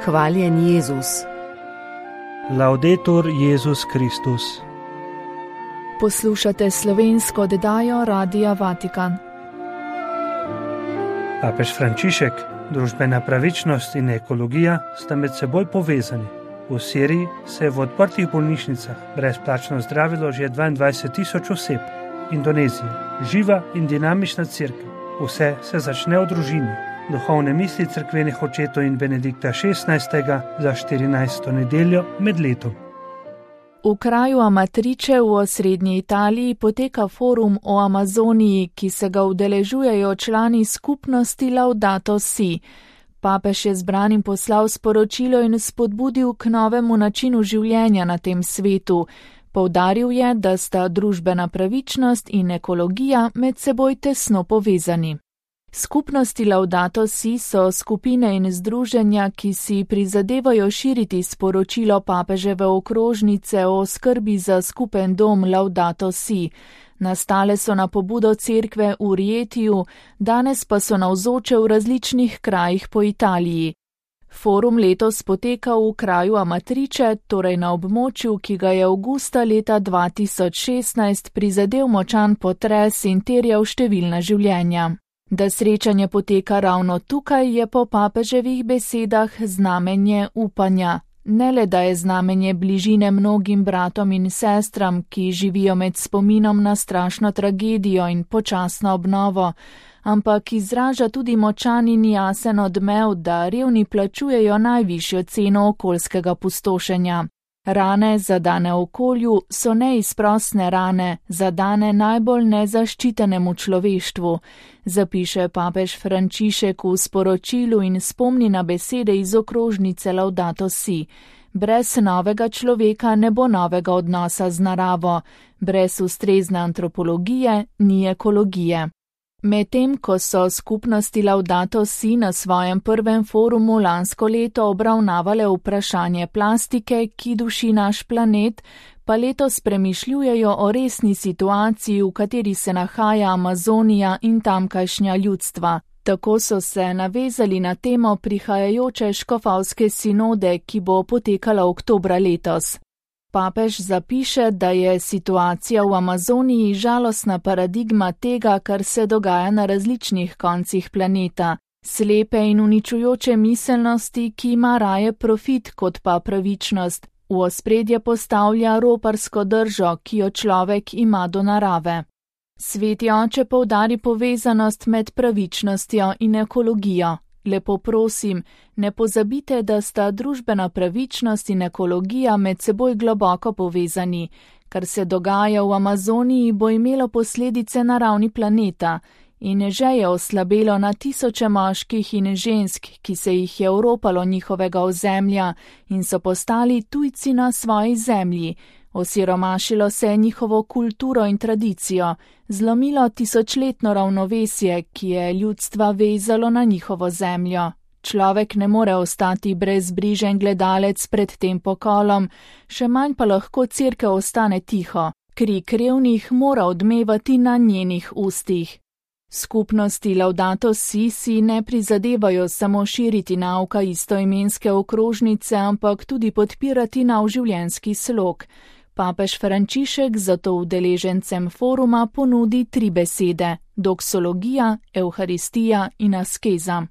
Hvaljen Jezus. Laudetur Jezus Kristus. Poslušate slovensko oddajo Radia Vatikan. Papež Frančišek, družbena pravičnost in ekologija sta med seboj povezani. V Siriji se je v odprtih bolnišnicah brezplačno zdravilo že 22.000 oseb. Indonezija, živa in dinamična cerkev. Vse se začne v družini. Duhovne misli cerkvenih očetov in Benedikta XVI. Za 14. nedeljo med letom. V kraju Amatrice v osrednji Italiji poteka forum o Amazoniji, ki se ga udeležujejo člani skupnosti Laudato Si. Papež je zbranim poslal sporočilo in spodbudil k novemu načinu življenja na tem svetu. Poudaril je, da sta družbena pravičnost in ekologija med seboj tesno povezani. Skupnosti Laudato Si so skupine in združenja, ki si prizadevajo širiti sporočilo papeževe okrožnice o skrbi za skupen dom Laudato Si. Nastale so na pobudo cerkve v Rietiju, danes pa so navzoče v različnih krajih po Italiji. Forum letos poteka v kraju Amatrice, torej na območju, ki ga je avgusta leta 2016 prizadel močan potres in terjal številna življenja. Da srečanje poteka ravno tukaj, je po papeževih besedah znamenje upanja. Ne le, da je znamenje bližine mnogim bratom in sestram, ki živijo med spominom na strašno tragedijo in počasno obnovo, ampak izraža tudi močan in jasen odmev, da revni plačujejo najvišjo ceno okoljskega pustošenja. Rane, zadane okolju, so neizprosne rane, zadane najbolj nezaščitenemu človeštvu, zapiše papež Frančišek v sporočilu in spomni na besede iz okrožnice Laudato Si. Brez novega človeka ne bo novega odnosa z naravo, brez ustrezne antropologije ni ekologije. Medtem, ko so skupnosti Laudato Si na svojem prvem forumu lansko leto obravnavale vprašanje plastike, ki duši naš planet, pa letos premišljujejo o resni situaciji, v kateri se nahaja Amazonija in tamkajšnja ljudstva. Tako so se navezali na temo prihajajoče škofovske sinode, ki bo potekala oktobra letos. Papež zapiše, da je situacija v Amazoniji žalostna paradigma tega, kar se dogaja na različnih koncih planeta, slepe in uničujoče miselnosti, ki ima raje profit kot pa pravičnost, v ospredje postavlja roparsko držo, ki jo človek ima do narave. Sveti oče poudari povezanost med pravičnostjo in ekologijo. Lepo prosim, ne pozabite, da sta družbena pravičnost in ekologija med seboj globoko povezani. Kar se dogaja v Amazoniji, bo imelo posledice na ravni planeta in že je oslabelo na tisoče moških in žensk, ki se jih je oropalo njihovega ozemlja in so postali tujci na svoji zemlji. Osiromašilo se je njihovo kulturo in tradicijo, zlomilo tisočletno ravnovesje, ki je ljudstva vezalo na njihovo zemljo. Človek ne more ostati brezbrižen gledalec pred tem pokolom, še manj pa lahko cerkev ostane tiho. Krik revnih mora odmevati na njenih ustih. Skupnosti Laudato Si ne prizadevajo samo širiti nauka istoimenske okrožnice, ampak tudi podpirati nov življenjski slog. Papež Frančišek zato udeležencem foruma ponudi 3 besede: doksologija, evharistija in askeza.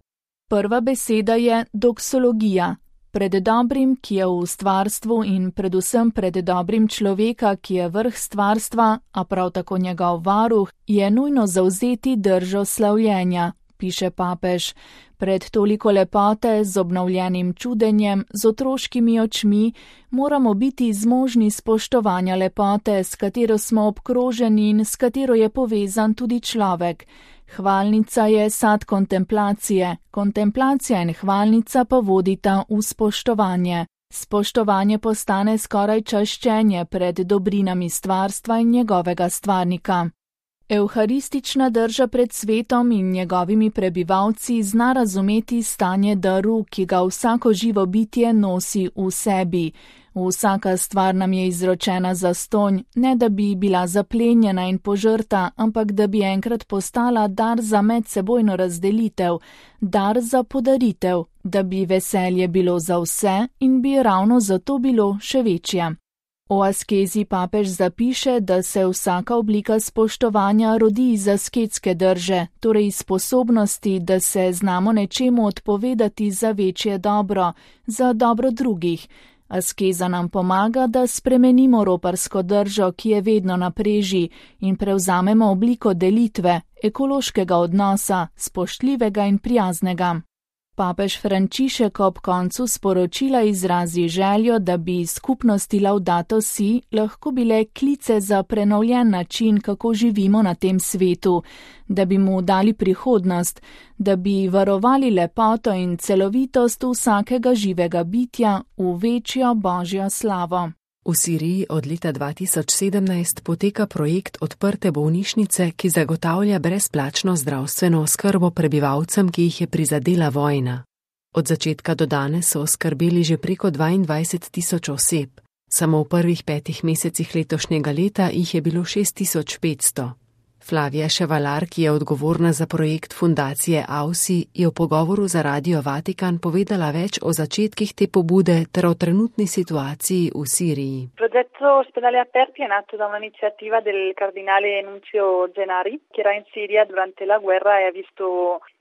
Prva beseda je doksologija. Pred dobrim, ki je v stvarstvu in predvsem pred dobrim človeka, ki je vrh stvarstva, a prav tako njegov varuh, je nujno zavzeti držo slavljenja, piše papež. Pred toliko lepote, z obnovljenim čudenjem, z otroškimi očmi, moramo biti zmožni spoštovanja lepote, s katero smo obkroženi in s katero je povezan tudi človek. Hvalnica je sad kontemplacije, kontemplacija in hvalnica pa vodita v spoštovanje. Spoštovanje postane skoraj čaščenje pred dobrinami stvarstva in njegovega stvarnika. Evharistična drža pred svetom in njegovimi prebivalci zna razumeti stanje daru, ki ga vsako živo bitje nosi v sebi. Vsaka stvar nam je izročena zastonj, ne da bi bila zaplenjena in požrta, ampak da bi enkrat postala dar za medsebojno razdelitev, dar za podaritev, da bi veselje bilo za vse in bi ravno zato bilo še večje. O askezi papež zapiše, da se vsaka oblika spoštovanja rodi iz asketske drže, torej iz sposobnosti, da se znamo nečemu odpovedati za večje dobro, za dobro drugih. Askeza nam pomaga, da spremenimo roparsko držo, ki je vedno na preži, in prevzamemo obliko delitve, ekološkega odnosa, spoštljivega in prijaznega. Papež Frančišek ob koncu sporočila izrazi željo, da bi skupnosti Laudato Si lahko bile klice za prenovljen način, kako živimo na tem svetu, da bi mu dali prihodnost, da bi varovali lepoto in celovitost vsakega živega bitja v večjo božjo slavo. V Siriji od leta 2017 poteka projekt Odprte bolnišnice, ki zagotavlja brezplačno zdravstveno oskrbo prebivalcem, ki jih je prizadela vojna. Od začetka do danes so oskrbeli že preko 22.000 oseb. Samo v prvih 5 mesecih letošnjega leta jih je bilo 6.500. Flavija Ševalar, ki je odgovorna za projekt fundacije AUSI, je v pogovoru za Radio Vatikan povedala več o začetkih te pobude ter o trenutni situaciji v Siriji. Progetto Ospedali Aperti è nato da un'iniziativa del cardinale Nunzio Gennari, che era in Siria durante la guerra e ha visto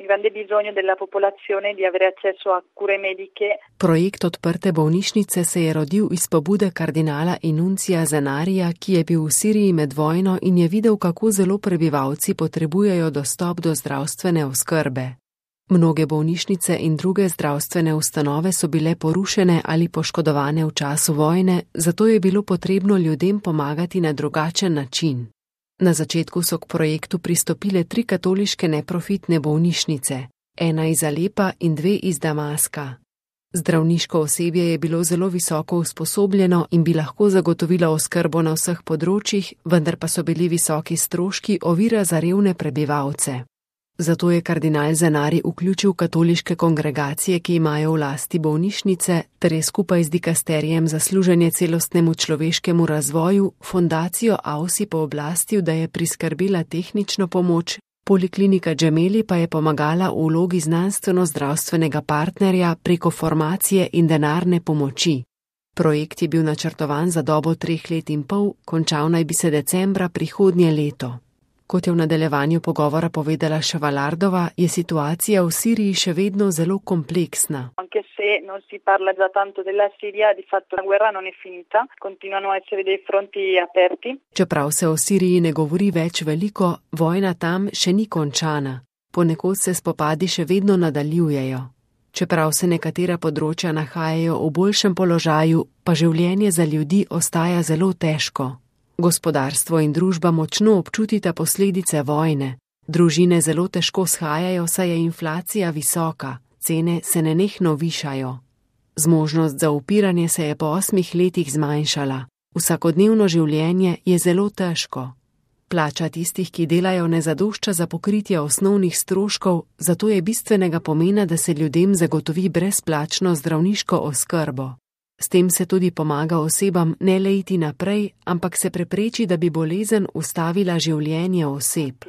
il grande bisogno della popolazione di avere accesso a cure mediche. Projekt Odprte bolnišnice se je rodil iz pobude kardinala Nunzia Gennarija, ki je bil v Siriji med vojno in je videl, kako zelo prebivalci potrebujejo dostop do zdravstvene oskrbe. Mnoge bolnišnice in druge zdravstvene ustanove so bile porušene ali poškodovane v času vojne, zato je bilo potrebno ljudem pomagati na drugačen način. Na začetku so k projektu pristopile 3 katoliške neprofitne bolnišnice, ena iz Alepa in 2 iz Damaska. Zdravniško osebje je bilo zelo visoko usposobljeno in bi lahko zagotovilo oskrbo na vseh področjih, vendar pa so bili visoki stroški ovira za revne prebivalce. Zato je kardinal Gennari vključil katoliške kongregacije, ki imajo v lasti bolnišnice, ter je skupaj z dikasterijem za služenje celostnemu človeškemu razvoju fundacijo AUSI pooblastil, da je priskrbela tehnično pomoč, Poliklinika Gemelli pa je pomagala v vlogi znanstveno-zdravstvenega partnerja preko formacije in denarne pomoči. Projekt je bil načrtovan za dobo 3 let in pol, končal naj bi se decembra prihodnje leto. Kot je v nadaljevanju pogovora povedala Ševalardova, je situacija v Siriji še vedno zelo kompleksna. Anche se non si parla già tanto della Siria, di fatto la guerra non è finita, continuano a essere dei fronti aperti. Čeprav se o Siriji ne govori več veliko, vojna tam še ni končana. Ponekod se spopadi še vedno nadaljujejo. Čeprav se nekatera področja nahajajo v boljšem položaju, pa življenje za ljudi ostaja zelo težko. Gospodarstvo in družba močno občutita posledice vojne. Družine zelo težko shajajo, saj je inflacija visoka, cene se nenehno višajo. Zmožnost za upiranje se je po 8 letih zmanjšala. Vsakodnevno življenje je zelo težko. Plača tistih, ki delajo, ne zadošča za pokritje osnovnih stroškov, zato je bistvenega pomena, da se ljudem zagotovi brezplačno zdravniško oskrbo. S tem se tudi pomaga osebam ne le iti naprej, ampak se prepreči, da bi bolezen ustavila življenje oseb.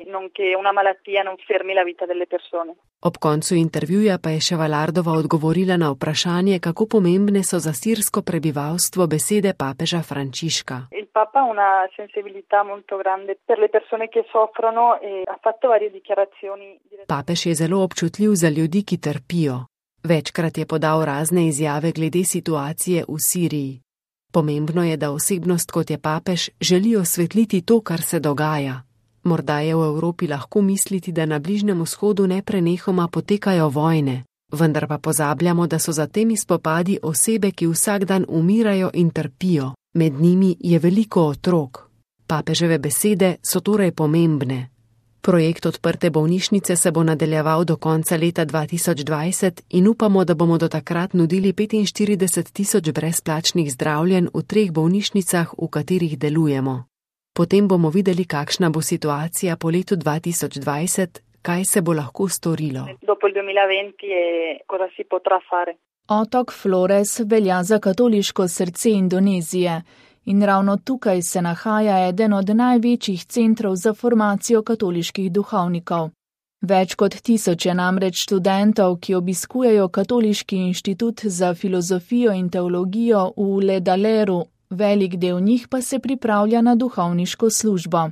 Ob koncu intervjuja pa je Ševalardova odgovorila na vprašanje, kako pomembne so za sirsko prebivalstvo besede papeža Frančiška. Papež je zelo občutljiv za ljudi, ki trpijo. Večkrat je podal razne izjave glede situacije v Siriji. Pomembno je, da osebnost kot je papež želi osvetliti to, kar se dogaja. Morda je v Evropi lahko misliti, da na Bližnjem vzhodu neprenehoma potekajo vojne, vendar pa pozabljamo, da so za temi spopadi osebe, ki vsak dan umirajo in trpijo. Med njimi je veliko otrok. Papeževe besede so torej pomembne. Projekt Odprte bolnišnice se bo nadaljeval do konca leta 2020 in upamo, da bomo do takrat nudili 45.000 brezplačnih zdravljenj v 3 bolnišnicah, v katerih delujemo. Potem bomo videli, kakšna bo situacija po letu 2020, kaj se bo lahko storilo. Otok Flores velja za katoliško srce Indonezije in ravno tukaj se nahaja eden od največjih centrov za formacijo katoliških duhovnikov. Več kot 1000 je namreč študentov, ki obiskujejo Katoliški inštitut za filozofijo in teologijo v Ledaleru, velik del njih pa se pripravlja na duhovniško službo.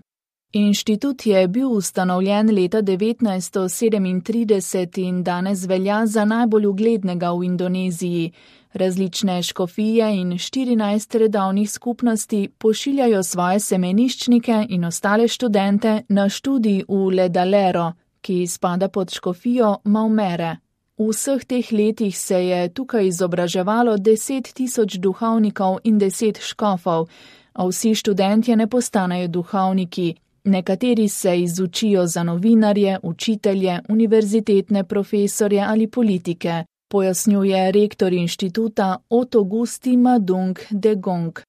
Inštitut je bil ustanovljen leta 1937 in danes velja za najbolj uglednega v Indoneziji. Različne škofije in 14 redovnih skupnosti pošiljajo svoje semeniščnike in ostale študente na študij v Ledalero, ki spada pod škofijo Maumere. V vseh teh letih se je tukaj izobraževalo 10 000 duhovnikov in 10 škofov, a vsi študentje ne postanejo duhovniki. Nekateri se izučijo za novinarje, učitelje, univerzitetne profesorje ali politike, pojasnjuje rektor inštituta Otogusti Madung Degong.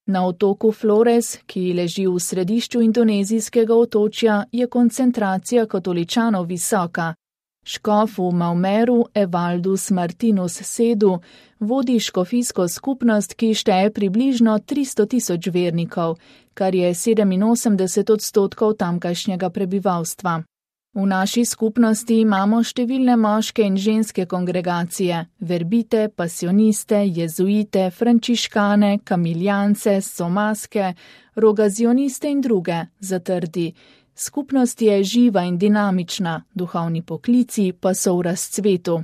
Na otoku Flores, ki leži v središču indonezijskega otočja, je koncentracija katoličanov visoka. Škof v Maumeru Evaldus Martinus Sedu vodi škofijsko skupnost, ki šteje približno 300 000 vernikov, kar je 87% tamkajšnjega prebivalstva. V naši skupnosti imamo številne moške in ženske kongregacije, verbite, pasioniste, jezuite, frančiškane, kamiljance, somaske, rogazioniste in druge, zatrdi. Skupnost je živa in dinamična, duhovni poklici pa so v razcvetu.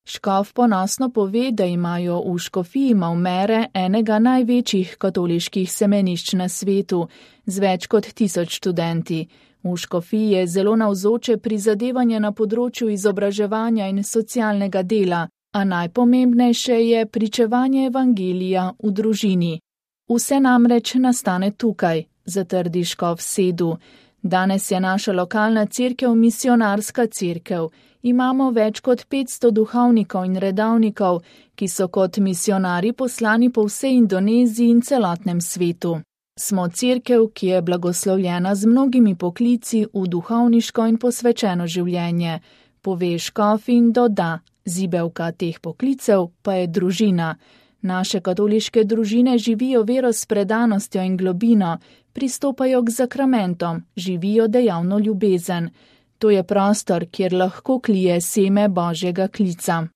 Škof ponosno pove, da imajo v škofiji Maumere enega največjih katoliških semenišč na svetu, z več kot 1000 študenti. V škofiji je zelo navzoče prizadevanje na področju izobraževanja in socialnega dela, a najpomembnejše je pričevanje evangelija v družini. Vse namreč nastane tukaj, zatrdi škof Sedu. Danes je naša lokalna cerkev misionarska cerkev. Imamo več kot 500 duhovnikov in redovnikov, ki so kot misionari poslani po vsej Indoneziji in celotnem svetu. Smo cerkev, ki je blagoslovljena z mnogimi poklici v duhovniško in posvečeno življenje, pove škof in doda, zibelka teh poklicev pa je družina. Naše katoliške družine živijo vero s predanostjo in globino, pristopajo k zakramentom, živijo dejavno ljubezen. To je prostor, kjer lahko klije seme Božjega klica.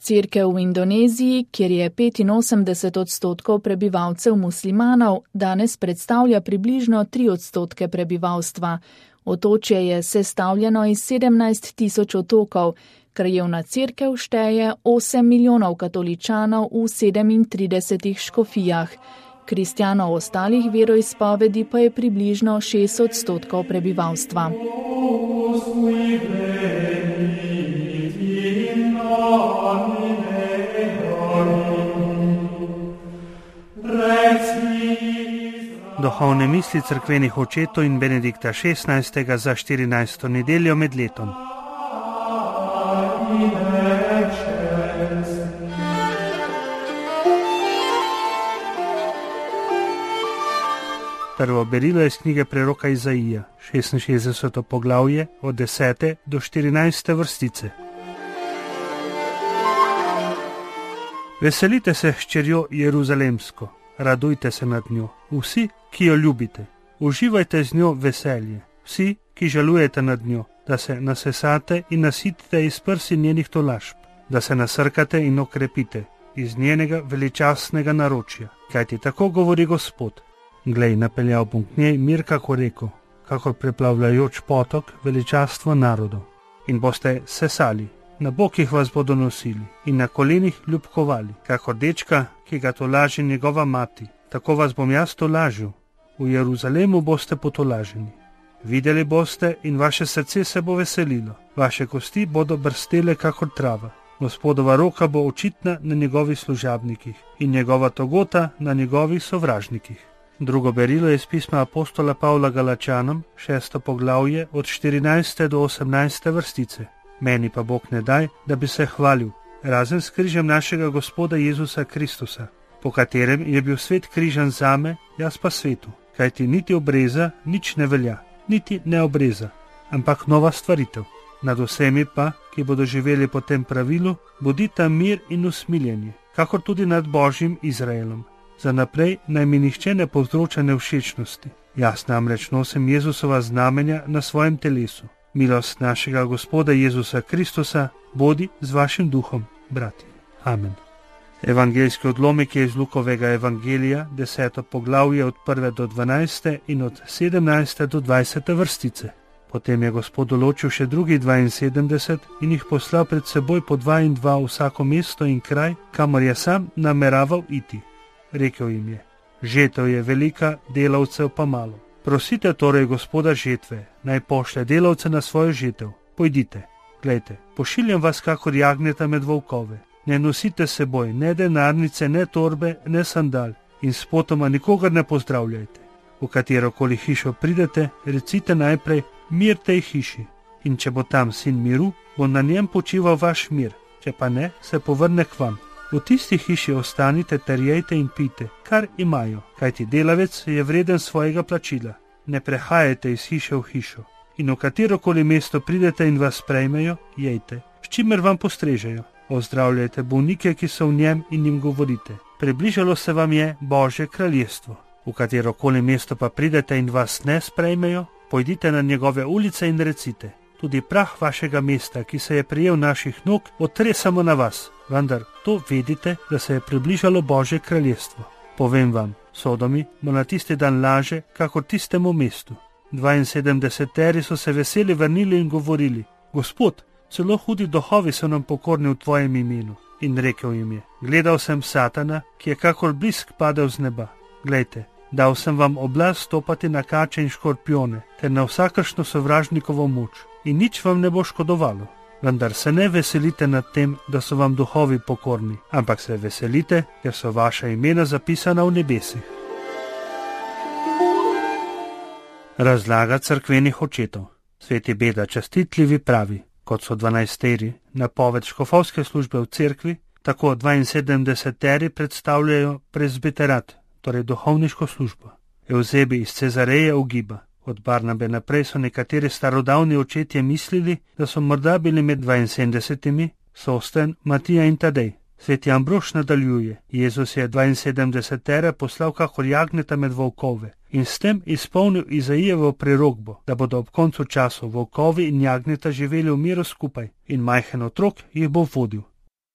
Cerkev v Indoneziji, kjer je 85% prebivalcev muslimanov, danes predstavlja približno 3% prebivalstva. Otočje je sestavljeno iz 17 000 otokov, krajevna cerkev šteje 8 milijonov katoličanov v 37 škofijah. Kristjanov ostalih veroizpovedi pa je približno 6% prebivalstva. Duhovne misli cerkvenih očetov in Benedikta XVI. Za 14. nedeljo med letom. Prvo berilo je iz knjige preroka Izaija, 66. poglavje, od 10. do 14. vrstice. Veselite se, hčerjo Jeruzalemsko, radujte se nad njo, vsi, ki jo ljubite. Uživajte z njo veselje, vsi, ki žalujete nad njo, da se nasesate in nasitite iz prsi njenih tolažb, da se nasrkate in okrepite iz njenega veličastnega naročja. Kajti tako govori Gospod. Glej, napeljal bom k njej mir kako reko, kakor preplavljajoč potok veličastvo narodov. In boste sesali, na bokih vas bodo nosili in na kolenih ljubkovali, kakor dečka, ki ga tolaži njegova mati. Tako vas bom jaz tolažil, v Jeruzalemu boste potolaženi. Videli boste in vaše srce se bo veselilo, vaše kosti bodo brstele kakor trava. Gospodova roka bo očitna na njegovih služabnikih in njegova togota na njegovih sovražnikih. Drugo berilo je iz pisma apostola Pavla Galačanom, 6. poglavje, od 14. do 18. vrstice. Meni pa Bog ne daj, da bi se hvalil, razen s križem našega Gospoda Jezusa Kristusa, po katerem je bil svet križan zame, jaz pa svetu. Kajti niti obreza nič ne velja, niti ne obreza, ampak nova stvaritev. Nad vsemi pa, ki ki bodo živeli po tem pravilu, bodita mir in usmiljenje, kakor tudi nad Božjim Izraelom. Za naprej naj mi nihče ne povzroča nevšečnosti. Jaz namreč nosim Jezusova znamenja na svojem telesu. Milost našega Gospoda Jezusa Kristusa bodi z vašim duhom, bratje. Amen. Evangeljski odlomek je iz Lukovega evangelija, 10. poglavje od 1. do 12. in od 17. do 20. vrstice. Potem je Gospod določil še drugih 72 in jih poslal pred seboj po 2 in 2 vsako mesto in kraj, kamor je sam nameraval iti. Rekel jim je: žetev je velika, delavcev pa malo. Prosite torej Gospoda žetve, naj pošlje delavce na svojo žetev. Pojdite, glejte, pošiljam vas kakor jagnjeta med volkove. Ne nosite seboj ne denarnice, ne torbe, ne sandal in s potoma nikogar ne pozdravljajte. V katerokoli hišo pridete, recite najprej: mir tej hiši. In če bo tam sin miru, bo na njem počival vaš mir, če pa ne, se povrne k vam. V tisti hiši ostanite ter jejte in pite, kar imajo, kajti delavec je vreden svojega plačila. Ne prehajajte iz hiše v hišo. In v katerokoli mesto pridete in vas sprejmejo, jejte, s čimer vam postrežejo. Ozdravljajte bolnike, ki so v njem, in jim govorite: približalo se vam je Božje kraljestvo. V katerokoli mesto pa pridete in vas ne sprejmejo, pojdite na njegove ulice in recite: tudi prah vašega mesta, ki se je prijel naših nog, otresamo na vas, vendar to vedite, da se je približalo Božje kraljestvo. Povem vam, Sodomi bo na tisti dan laže, kakor tistemu mestu. 72 so se veseli vrnili in govorili: Gospod, celo hudi duhovi so nam pokorni v tvojem imenu. In rekel jim je: gledal sem Satana, ki je kakor blisk padel z neba. Glejte, dal sem vam oblast stopati na kače in škorpione, ter na vsakršno sovražnikovo moč, in nič vam ne bo škodovalo. Vendar se ne veselite nad tem, da so vam duhovi pokorni, ampak se veselite, ker so vaša imena zapisana v nebesih. Razlaga cerkvenih očetov. Sveti Beda Častitljivi pravi: kot so 12 napoved škofovske službe v cerkvi, tako 72 predstavljajo prezbiterat, torej duhovniško službo. Evzebi iz Cezareje ugiba: od Barnabe naprej so nekateri starodavni očetje mislili, da so morda bili med 72, Sosten, Matija in Tadej. Sveti Ambrož nadaljuje: Jezus je 72 poslal kakor jagnjeta med volkove in s tem izpolnil Izaijevo prerokbo, da bodo ob koncu časov volkovi in jagnjeta živeli v miru skupaj in majhen otrok jih bo vodil.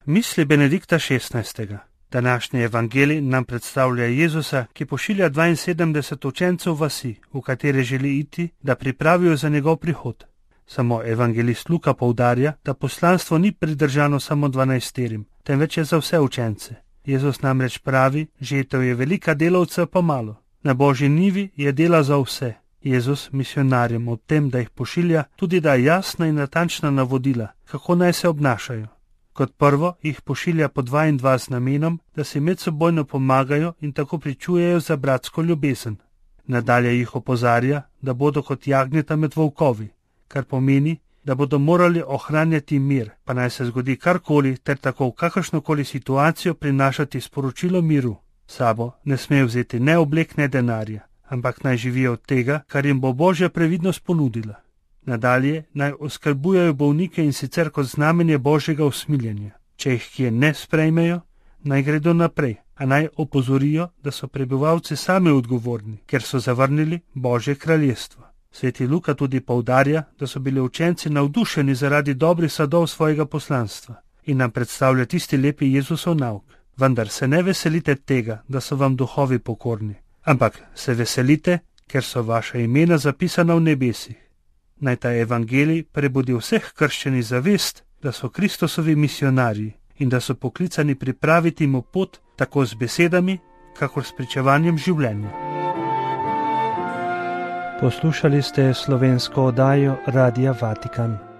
Misli Benedikta XVI. Današnji evangelij nam predstavlja Jezusa, ki pošilja 72 učencev vasi, v katere želi iti, da pripravijo za njegov prihod. Samo evangelist Luka poudarja, da poslanstvo ni pridržano samo 12, temveč je za vse učence. Jezus namreč pravi: žetev je velika, delavcev pa malo. Na Božji njivi je dela za vse. Jezus misionarjem ob tem, da jih pošilja, tudi da jasna in natančna navodila, kako naj se obnašajo. Kot prvo jih pošilja po 2 in 2 z namenom, da si medsebojno pomagajo in tako pričujejo za bratsko ljubezen. Nadalje jih opozarja, da bodo kot jagnjeta med volkovi, kar pomeni, da bodo morali ohranjati mir, pa naj se zgodi karkoli, ter tako v kakršnokoli situacijo prinašati sporočilo miru. Sabo ne smejo vzeti ne oblek, ne denarja, ampak naj živijo od tega, kar jim bo Božja previdnost ponudila. Nadalje naj oskrbujejo bolnike in sicer kot znamenje Božjega usmiljenja. Če jih kje ne sprejmejo, naj gredo naprej, a naj opozorijo, da so prebivalci sami odgovorni, ker so zavrnili Božje kraljestvo. Sveti Luka tudi poudarja, da so bili učenci navdušeni zaradi dobrih sadov svojega poslanstva in nam predstavlja tisti lepi Jezusov nauk. Vendar se ne veselite tega, da so vam duhovi pokorni, ampak se veselite, ker so vaša imena zapisana v nebesih. Naj ta evangelij prebudi vseh krščenih zavest, da so Kristusovi misionarji in da so poklicani pripraviti mu pot tako z besedami, kakor s pričevanjem življenja. Poslušali ste slovensko oddajo Radia Vatikan.